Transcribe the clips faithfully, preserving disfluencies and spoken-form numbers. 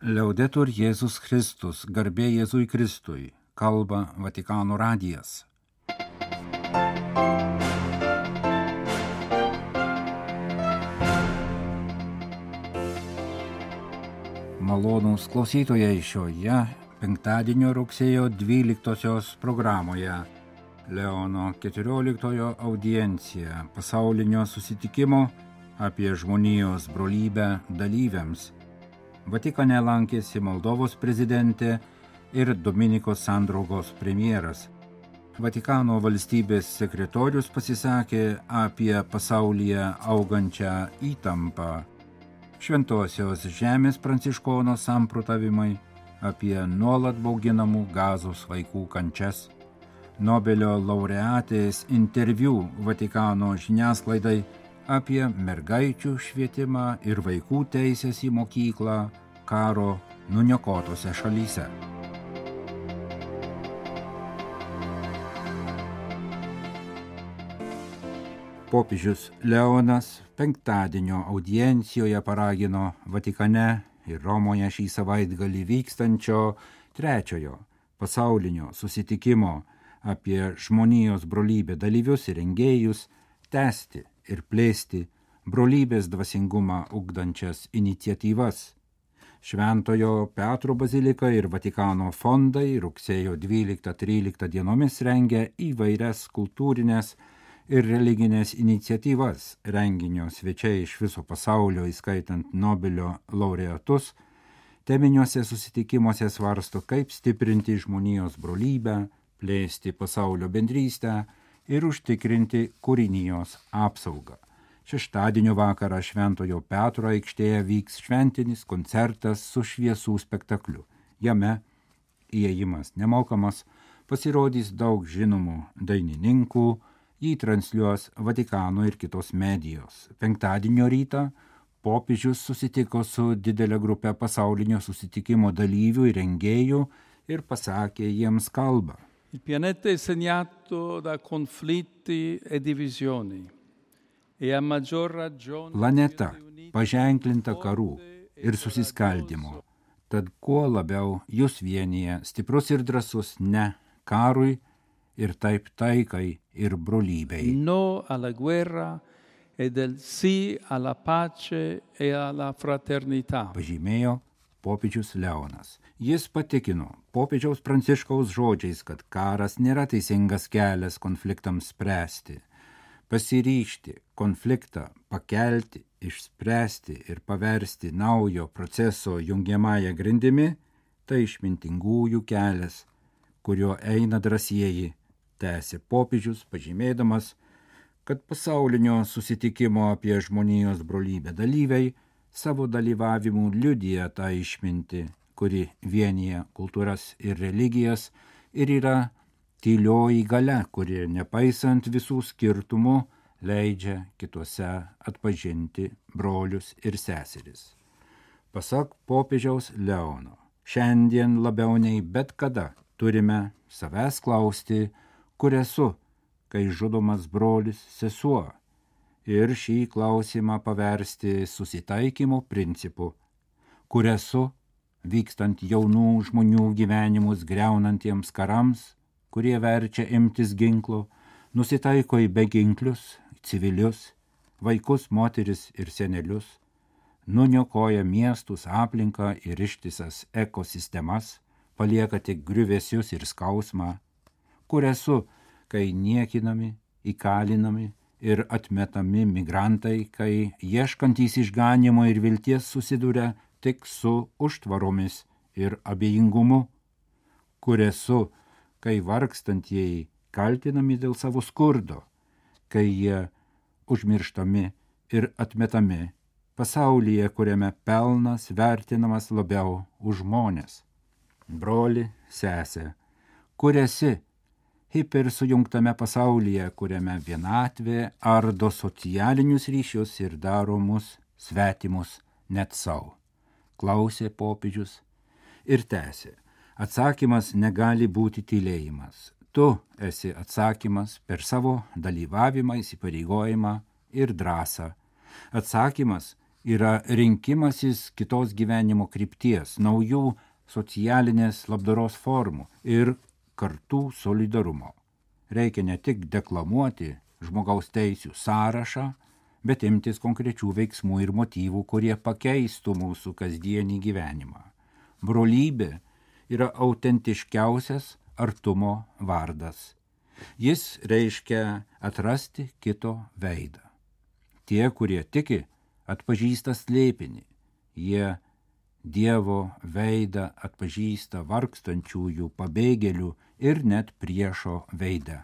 Liaudetur Jėzus Kristus, garbė Jėzui Kristui, kalba Vatikano radijas. Malonūs klausytojai šioje penktadienio rugsėjo dvyliktosios programoje Leono keturioliktojo audiencija pasaulinio susitikimo apie žmonijos brolybę dalyviams. Vatikane lankėsi Moldovos prezidentė ir Dominikos sandraugos premjeras. Vatikano valstybės sekretorius pasisakė apie pasaulyje augančią įtampą. Šventosios žemės pranciškono samprotavimai apie nuolat bauginamų Gazos vaikų kančias. Nobelio laureatės interviu Vatikano žiniasklaidai apie mergaičių švietimą ir vaikų teisės į mokyklą karo nuniokotose šalyse. Popiežius Leonas penktadienio audiencijoje paragino Vatikane ir Romoje šį savaitgalį vykstančio trečiojo pasaulinio susitikimo apie žmonijos brolybę dalyvius ir rengėjus tęsti ir plėsti brolybės dvasingumą ugdančias iniciatyvas. Šventojo Petro bazilika ir Vatikano fondai rugsėjo dvyliktą-tryliktą dienomis rengia įvairias kultūrinės ir religinės iniciatyvas. Renginio svečiai iš viso pasaulio, įskaitant Nobelio laureatus, teminiuose susitikimuose svarsto, kaip stiprinti žmonijos brolybę, plėsti pasaulio bendrystę ir užtikrinti kūrinijos apsaugą. Šeštadienio vakarą Šventojo Petro aikštėje vyks šventinis koncertas su šviesų spektakliu. Jame įėjimas nemokamas, pasirodys daug žinomų dainininkų, jį transliuos Vatikano ir kitos medijos. Penktadienio rytą popiežius susitiko su didelė grupė pasaulinio susitikimo dalyvių ir rengėjų ir pasakė jiems kalbą. Il pianeta è segnato da conflitti e divisioni e a maggior ragione Planeta paženklinta karų ir susiskaldimo, tad kuo labiau jūs vienyje stiprus ir drąsus ne karui ir taip taikai ir brolybei. No alla guerra e del sì alla pace e alla fraternità. Pažymėjo popiežius Leonas. Jis patikino popiežiaus Pranciškaus žodžiais, kad karas nėra teisingas kelias konfliktams spręsti. Pasiryžti konfliktą pakelti, išspręsti ir paversti naujo proceso jungiamąją grindimi – tai išmintingųjų kelias, kuriuo eina drąsieji, tęsė popiežius, pažymėdamas, kad pasaulinio susitikimo apie žmonijos brolybę dalyviai savo dalyvavimu liudija tą išmintį, kuri vienyje kultūras ir religijas ir yra tylioji galia, kuri nepaisant visų skirtumų leidžia kituose atpažinti brolius ir seseris. Pasak popiežiaus Leono, šiandien labiau nei bet kada turime savęs klausti, kur esu, kai žudomas brolis sesuo, ir šį klausimą paversti susitaikymo principu, kur esu, vykstant jaunų žmonių gyvenimus griaunantiems karams, kurie verčia imtis ginklo, nusitaiko į beginklius, civilius, vaikus, moteris ir senelius, nuniokoja miestus, aplinką ir ištisas ekosistemas, palieka tik griuvesius ir skausmą, kur esu, kai niekinami, įkalinami ir atmetami migrantai, kai ieškantys išganimo ir vilties susiduria tik su užtvaromis ir abejingumu, kur esu, kai vargstantieji kaltinami dėl savo skurdo, kai jie užmirštami ir atmetami pasaulyje, kuriame pelnas vertinamas labiau už žmones. Broli, sesė, kur esi, hipersujungtame pasaulyje, kuriame vienatvė ardo socialinius ryšius ir daro mus svetimus net savo. Klausė popiežius ir tęsė. Atsakymas negali būti tylėjimas. Tu esi atsakymas per savo dalyvavimą, įsipareigojimą ir drąsą. Atsakymas, yra rinkimasis kitos gyvenimo krypties, naujų socialinės labdaros formų ir kartų solidarumo. Reikia ne tik deklamuoti žmogaus teisių sąrašą, bet imtis konkrečių veiksmų ir motyvų, kurie pakeistų mūsų kasdienį gyvenimą. Brolybė yra autentiškiausias artumo vardas. Jis reiškia atrasti kito veidą. Tie, kurie tiki, atpažįsta slėpinį. Jie Dievo veidą atpažįsta vargstančiųjų, pabėgėlių ir net priešo veidą.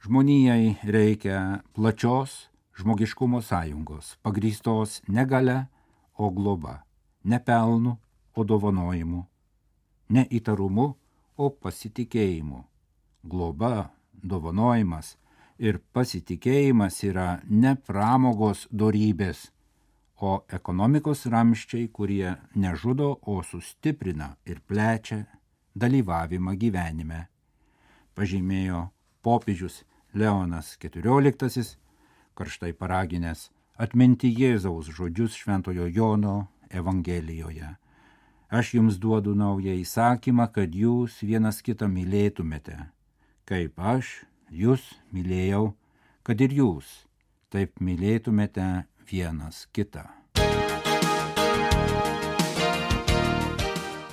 Žmonijai reikia plačios žmogiškumo sąjungos, pagrįstos ne galia, o globa, ne pelnu, o dovanojimu, ne įtarumu, o pasitikėjimu. Globa, dovanojimas ir pasitikėjimas yra ne pramogos dorybės, o ekonomikos ramščiai, kurie nežudo, o sustiprina ir plečia dalyvavimą gyvenime, pažymėjo popiežius Leonas keturioliktasis, karštai paraginęs atminti Jėzaus žodžius Šventojo Jono Evangelijoje. Aš jums duodu naują įsakymą, kad jūs vienas kitą mylėtumėte, kaip aš jūs mylėjau, kad ir jūs taip mylėtumėte vienas kitą.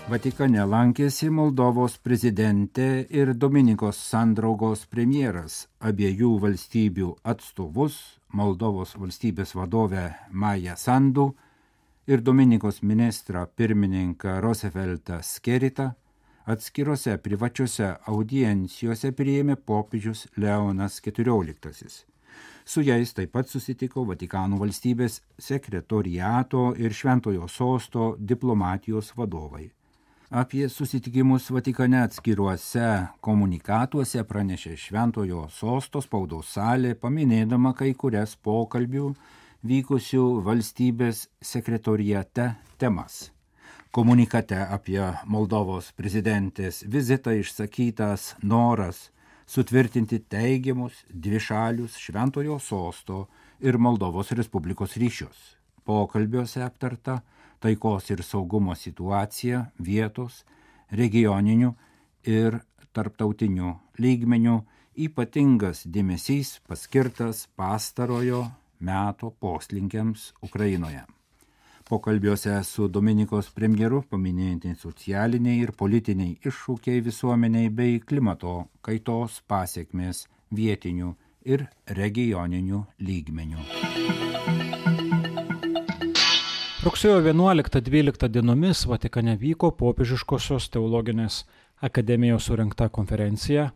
Vatikane lankėsi Moldovos prezidentė ir Dominikos sandraugos premjeras, abiejų valstybių atstovus, Moldovos valstybės vadovę Mają Sandu ir Dominikos ministrą pirmininką Roosevelt Skeritą, atskirose privačiose audiencijose priėmė popiežius Leonas keturioliktasis. Su jais taip pat susitiko Vatikano valstybės sekretoriato ir Šventojo sosto diplomatijos vadovai. Apie susitikimus Vatikane atskiruose komunikatuose pranešė Šventojo sosto spaudos salė, paminėdama kai kurias pokalbių vykusių valstybės sekretoriate temas. Komunikate apie Moldovos prezidentės vizitą išsakytas noras sutvirtinti teigiamus dvišalius Šventojo sosto ir Moldovos Respublikos ryšius. Pokalbiuose aptarta taikos ir saugumo situacija vietos, regioninių ir tarptautinių lygmenių, ypatingas dėmesys paskirtas pastarojo meto poslinkiams Ukrainoje. Pokalbiuose su Dominikos premjeru paminėti socialiniai ir politiniai iššūkiai visuomeniai bei klimato kaitos pasekmės vietinių ir regioninių lygmenių. Rugsėjo vienuoliktą dvyliktą dienomis Vatikane vyko Popiežiškosios teologinės akademijos surengta konferencija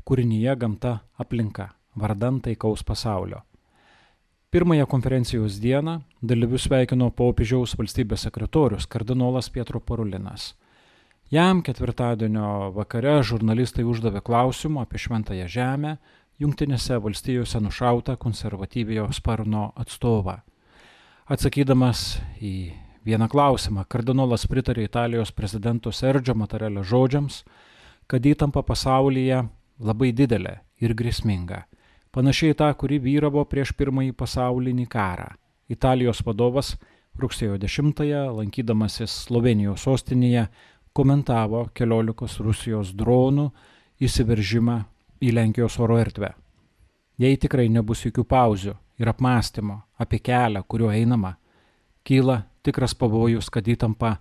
Kūrinyje gamta aplinka vardan taikaus pasaulio. Pirmąją konferencijos dieną dalyvius sveikino popiežiaus valstybės sekretorius kardinolas Pietro Parolinas. Jam ketvirtadienio vakare žurnalistai uždavė klausimų apie Šventąją Žemę, Jungtinėse valstijose nušautą konservatyviojo sparno atstovą. Atsakydamas į vieną klausimą, kardinolas pritarė Italijos prezidento Sergio Mattarellio žodžiams, kad įtampa pasaulyje labai didelė ir grėsminga, panašiai tą, kuri vyravo prieš pirmąjį pasaulinį karą. Italijos vadovas rugsėjo dešimtąją, lankydamasis Slovėnijos sostinėje, komentavo keliolikos Rusijos dronų įsiveržimą į Lenkijos oro erdvę. Jei tikrai nebus jokių pauzių ir apmąstymo apie kelią, kuriuo einama, kyla tikras pavojus, kad įtampa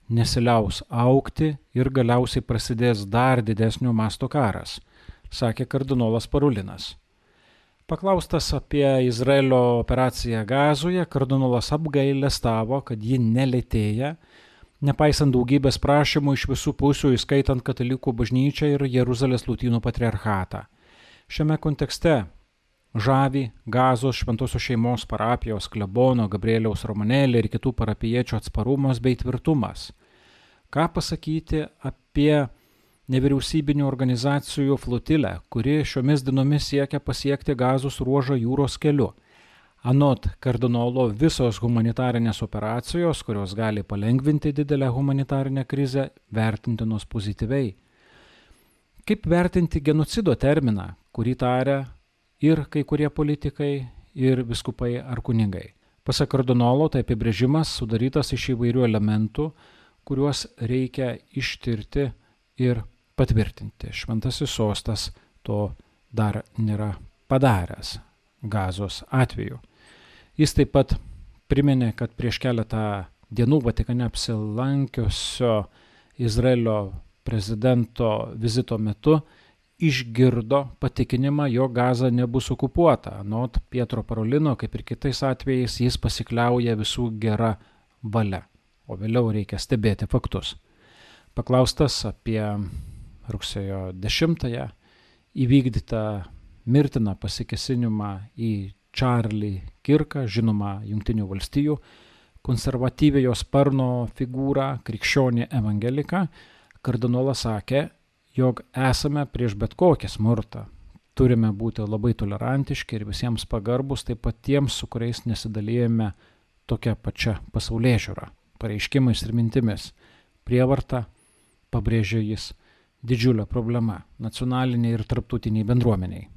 nesiliaus augti ir galiausiai prasidės dar didesnio masto karas, sakė kardinolas Parolinas. Paklaustas apie Izraelio operaciją Gazoje, kardinolas apgailestavo, kad ji nelėtėja, nepaisant daugybės prašymų iš visų pusių, įskaitant katalikų bažnyčią ir Jeruzalės lotynų patriarchatą. Šiame kontekste žavi Gazos šventosios šeimos parapijos klebono Gabrieliaus Romanelli ir kitų parapiečių atsparumas bei tvirtumas. Ką pasakyti apie nevyriausybinių organizacijų flotilę, kuri šiomis dienomis siekia pasiekti Gazos ruožą jūros keliu. Anot kardinolo, visos humanitarinės operacijos, kurios gali palengvinti didelę humanitarinę krizę, vertintinos pozityviai. Kaip vertinti genocido terminą, kurį taria ir kai kurie politikai, ir viskupai ar kunigai? Pasak kardinolo, tai apibrėžimas sudarytas iš įvairių elementų, kuriuos reikia ištirti ir patvirtinti. Šventasis sostas to dar nėra padaręs Gazos atveju. Jis taip pat priminė, kad prieš keletą dienų Vatikane apsilankiusio Izraelio prezidento vizito metu išgirdo patikinimą, jog Gaza nebus okupuota. Anot Pietro Parolino, kaip ir kitais atvejais, jis pasikliauja visų gera valia, o vėliau reikia stebėti faktus. Paklaustas apie rugsėjo dešimtąją įvykdytą mirtiną pasikėsinimą į Čarlį Kirką, žinoma Jungtinių valstijų konservatyviojo sparno figūrą, krikščionį evangeliką, kardinolas sakė, jog esame prieš bet kokį smurtą. Turime būti labai tolerantiški ir visiems pagarbus, taip pat tiems, su kuriais nesidalijame tokia pačia pasaulėžiūra, pareiškimais ir mintimis. Prievarta, pabrėžė jis, didžiulė problema nacionaliniai ir tarptautiniai bendruomeniai.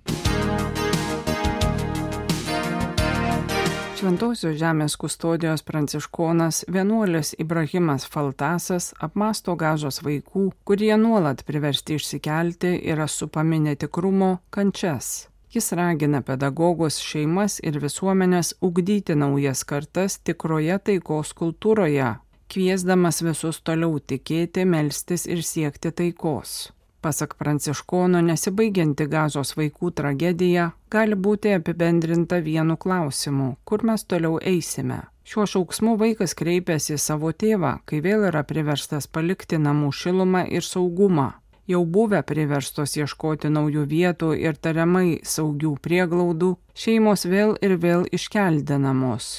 Šventosios žemės kustodijos pranciškonas vienuolis Ibrahimas Faltasas apmąsto Gazos vaikų, kurie nuolat priversti išsikelti yra supami netikrumo kančias. Jis ragina pedagogus, šeimas ir visuomenės ugdyti naujas kartas tikroje taikos kultūroje, kviesdamas visus toliau tikėti, melstis ir siekti taikos. Pasak pranciškono, nesibaigianti Gazos vaikų tragedija gali būti apibendrinta vienu klausimu, kur mes toliau eisime. Šiuo šauksmu vaikas kreipiasi į savo tėvą, kai vėl yra priverstas palikti namų šilumą ir saugumą. Jau buvę priverstos ieškoti naujų vietų ir tariamai saugių prieglaudų, šeimos vėl ir vėl iškeldinamos.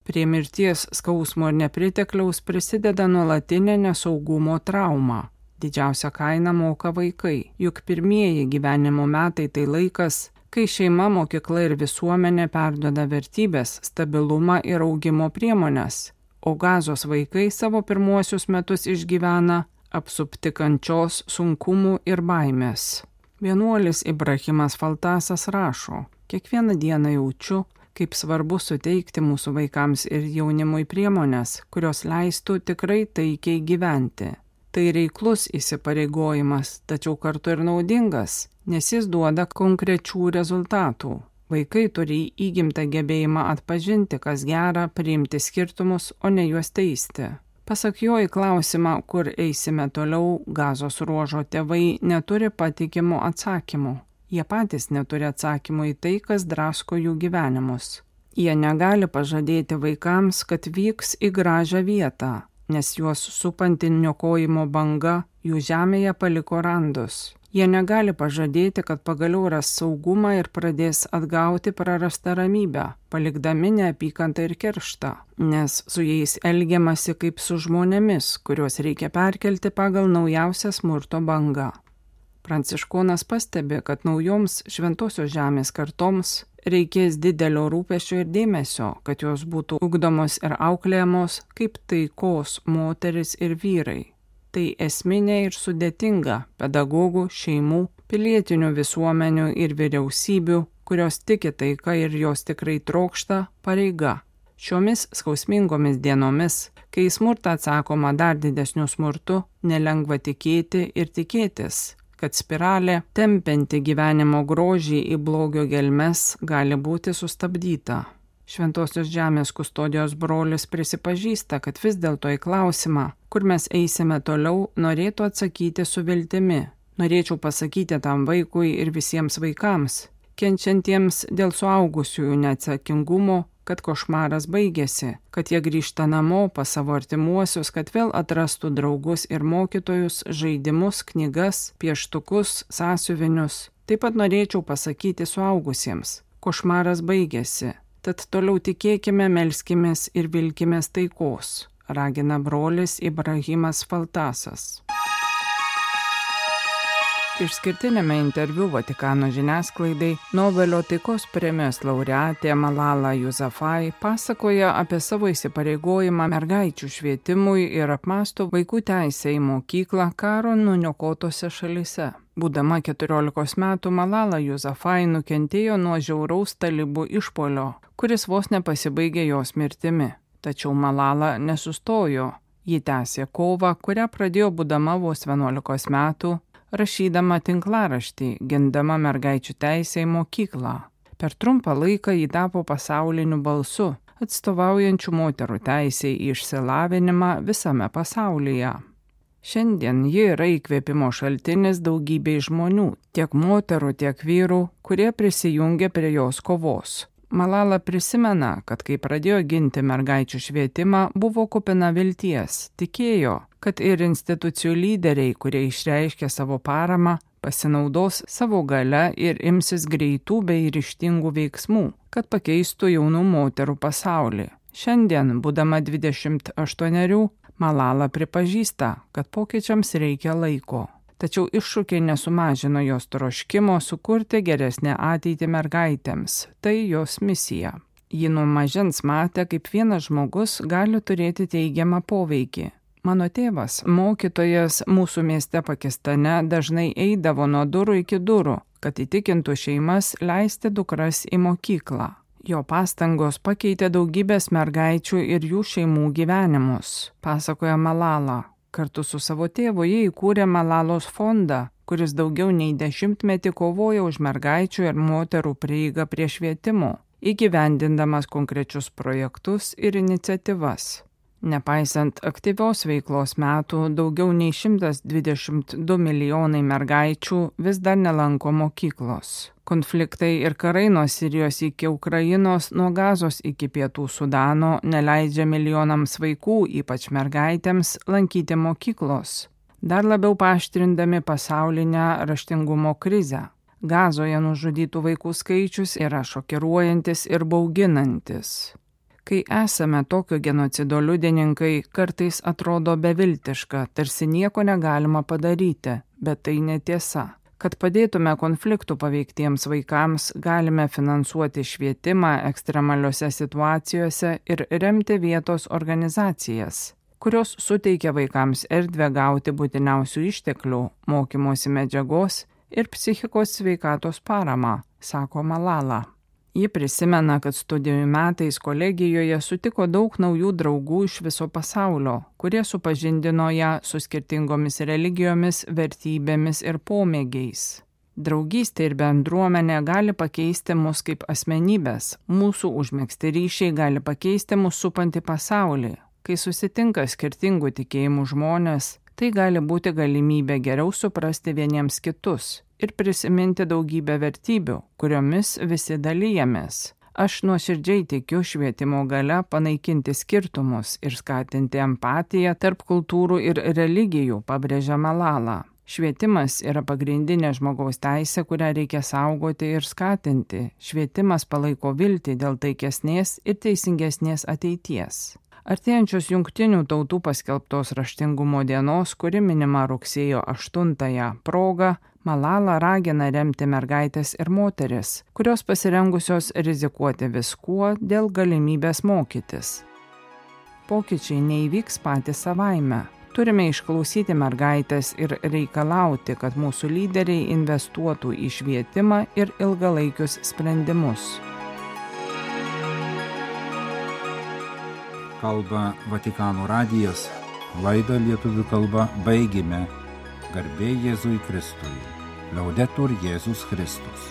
Prie mirties, skausmo ir nepritekliaus prisideda nuolatinė nesaugumo trauma. Didžiausią kainą moka vaikai, juk pirmieji gyvenimo metai tai laikas, kai šeima, mokykla ir visuomenė perduoda vertybės, stabilumą ir augimo priemones, o Gazos vaikai savo pirmuosius metus išgyvena apsupti kančios, sunkumų ir baimės. Vienuolis Ibrahimas Faltasas rašo, kiekvieną dieną jaučiu, kaip svarbu suteikti mūsų vaikams ir jaunimui priemones, kurios leistų tikrai taikiai gyventi. Tai reiklus įsipareigojimas, tačiau kartu ir naudingas, nes jis duoda konkrečių rezultatų. Vaikai turi įgimtą gebėjimą atpažinti, kas gera, priimti skirtumus, o ne juos teisti. Pasak jo į klausimą, kur eisime toliau, Gazos ruožo tėvai neturi patikimų atsakymų. Jie patys neturi atsakymų į tai, kas drasko jų gyvenimus. Jie negali pažadėti vaikams, kad vyks į gražią vietą, nes juos supanti niokojimo banga jų žemėje paliko randus. Jie negali pažadėti, kad pagaliau ras saugumą ir pradės atgauti prarastą ramybę, palikdami neapykantą ir kerštą, nes su jais elgiamasi kaip su žmonėmis, kuriuos reikia perkelti pagal naujausią smurto bangą. Pranciškonas pastebi, kad naujoms šventosios žemės kartoms reikės didelio rūpesčio ir dėmesio, kad jos būtų ugdomos ir auklėjamos kaip taikos moteris ir vyrai. Tai esminė ir sudėtinga pedagogų, šeimų, pilietinių visuomenių ir vyriausybių, kurios tiki taika ir jos tikrai trokšta, pareiga. Šiomis skausmingomis dienomis, kai į smurtą atsakoma dar didesniu smurtu, nelengva tikėti ir tikėtis, kad spiralė, tempianti gyvenimo grožį į blogio gelmes, gali būti sustabdyta. Šventosios žemės kustodijos brolis prisipažįsta, kad vis dėlto į klausimą, kur mes eisime toliau, norėtų atsakyti su viltimi. Norėčiau pasakyti tam vaikui ir visiems vaikams, kenčiantiems dėl suaugusiųjų neatsakingumo, kad košmaras baigėsi, kad jie grįžta namo pas savo artimuosius, kad vėl atrastų draugus ir mokytojus, žaidimus, knygas, pieštukus, sąsiuvinius. Taip pat norėčiau pasakyti suaugusiems, košmaras baigėsi, tad toliau tikėkime, melskimės ir vilkimės taikos, ragina brolis Ibrahimas Faltasas. Išskirtinėme interviu Vatikano žiniasklaidai Nobelio taikos premijos laureatė Malala Yousafzai pasakoja apie savo įsipareigojimą mergaičių švietimui ir apmąsto vaikų teisę į mokyklą karo nuniokotose šalyse. Būdama keturiolikos metų, Malala Yousafzai nukentėjo nuo žiauraus talibų išpuolio, kuris vos nepasibaigė jos mirtimi. Tačiau Malala nesustojo. Ji tęsė kovą, kurią pradėjo būdama vos vienuolikos metų, rašydama tinklaraštį, gindama mergaičių teisę į mokyklą. Per trumpą laiką ji tapo pasauliniu balsu, atstovaujančių moterų teisę į išsilavinimą visame pasaulyje. Šiandien ji yra įkvėpimo šaltinis daugybei žmonių, tiek moterų, tiek vyrų, kurie prisijungia prie jos kovos. Malala prisimena, kad kai pradėjo ginti mergaičių švietimą, buvo kupina vilties, tikėjo, kad ir institucijų lyderiai, kurie išreiškė savo paramą, pasinaudos savo gale ir imsis greitų bei ryžtingų veiksmų, kad pakeistų jaunų moterų pasaulį. Šiandien, būdama dvidešimt aštuonerių, Malala pripažįsta, kad pokyčiams reikia laiko. Tačiau iššūkiai nesumažino jos troškimo sukurti geresnę ateitį mergaitėms. Tai jos misija. Ji nuo mažens matė, kaip vienas žmogus gali turėti teigiamą poveikį. Mano tėvas, mokytojas mūsų mieste Pakistane, dažnai eidavo nuo durų iki durų, kad įtikintų šeimas leisti dukras į mokyklą. Jo pastangos pakeitė daugybės mergaičių ir jų šeimų gyvenimus, pasakoja Malala. Kartu su savo tėvu jie įkūrė Malalos fondą, kuris daugiau nei dešimtmetį kovoja už mergaičių ir moterų prieigą prie švietimo, įgyvendindamas konkrečius projektus ir iniciatyvas. Nepaisant aktyvios veiklos metų, daugiau nei šimtas dvidešimt du milijonai mergaičių vis dar nelanko mokyklos. Konfliktai ir karai nuo Sirijos iki Ukrainos, nuo Gazos iki Pietų Sudano neleidžia milijonams vaikų, ypač mergaitėms, lankyti mokyklos, dar labiau paaštrindami pasaulinę raštingumo krizę. Gazoje nužudytų vaikų skaičius yra šokiruojantis ir bauginantis. Kai esame tokio genocido liudininkai, kartais atrodo beviltiška, tarsi nieko negalima padaryti, bet tai netiesa. Kad padėtume konfliktų paveiktiems vaikams, galime finansuoti švietimą ekstremaliose situacijose ir remti vietos organizacijas, kurios suteikia vaikams erdvę gauti būtiniausių išteklių, mokymosi medžiagos ir psichikos sveikatos paramą, sako Malala. Ji prisimena, kad studijų metais kolegijoje sutiko daug naujų draugų iš viso pasaulio, kurie supažindino ją su skirtingomis religijomis, vertybėmis ir pomėgiais. Draugystė ir bendruomenė gali pakeisti mus kaip asmenybės, mūsų užmegzti ryšiai gali pakeisti mūsų supantį pasaulį. Kai susitinka skirtingų tikėjimų žmonės, tai gali būti galimybė geriau suprasti vieniems kitus ir prisiminti daugybę vertybių, kuriomis visi dalyjamės. Aš nuoširdžiai tikiu švietimo gale panaikinti skirtumus ir skatinti empatiją tarp kultūrų ir religijų, pabrėžia Malala. Švietimas yra pagrindinė žmogaus teisė, kurią reikia saugoti ir skatinti. Švietimas palaiko viltį dėl taikesnės ir teisingesnės ateities. Artėjančios Jungtinių tautų paskelbtos raštingumo dienos, kuri minima rugsėjo aštuntąją proga, Malala ragina remti mergaitės ir moteris, kurios pasirengusios rizikuoti viskuo dėl galimybės mokytis. Pokyčiai neįvyks patys savaime. Turime išklausyti mergaitės ir reikalauti, kad mūsų lyderiai investuotų į švietimą ir ilgalaikius sprendimus. Kalba Vatikano radijas, laidą lietuvių kalba baigėme. Garbė Jėzui Kristui. Laudetur Jėzus Kristus.